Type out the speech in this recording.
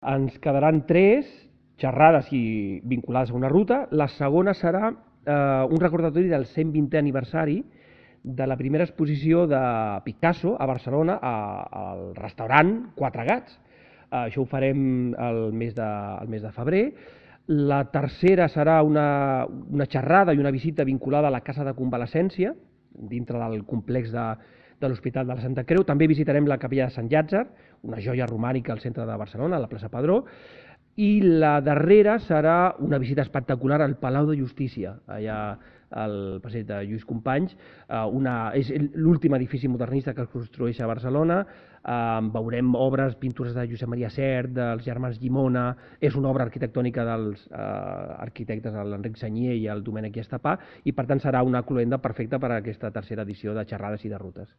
Ens quedaran 3 xerrades vinculades a una ruta. La segona serà un recordatori del 120è aniversari de la primera exposició de Picasso a Barcelona al restaurant Quatre Gats. Això ho farem el mes de febrer. La tercera serà una xerrada i una visita vinculada a la Casa de Convalescència, dintre del complex de l'Hospital de la Santa Creu. També visitarem la Capella de Sant Llàtzer, una joia romànica al centre de Barcelona, a la plaça Padró. I la darrera serà una visita espectacular al Palau de Justícia, allà al passeig de Lluís Companys. És l'últim edifici modernista que es construeix a Barcelona. Veurem obres, pintures de Josep Maria Sert, dels germans Llimona. És una obra arquitectònica dels arquitectes l'Enric Sagnier i el Domènec Estapà, i per tant serà una cloenda perfecta per a aquesta tercera edició de xerrades i de rutes.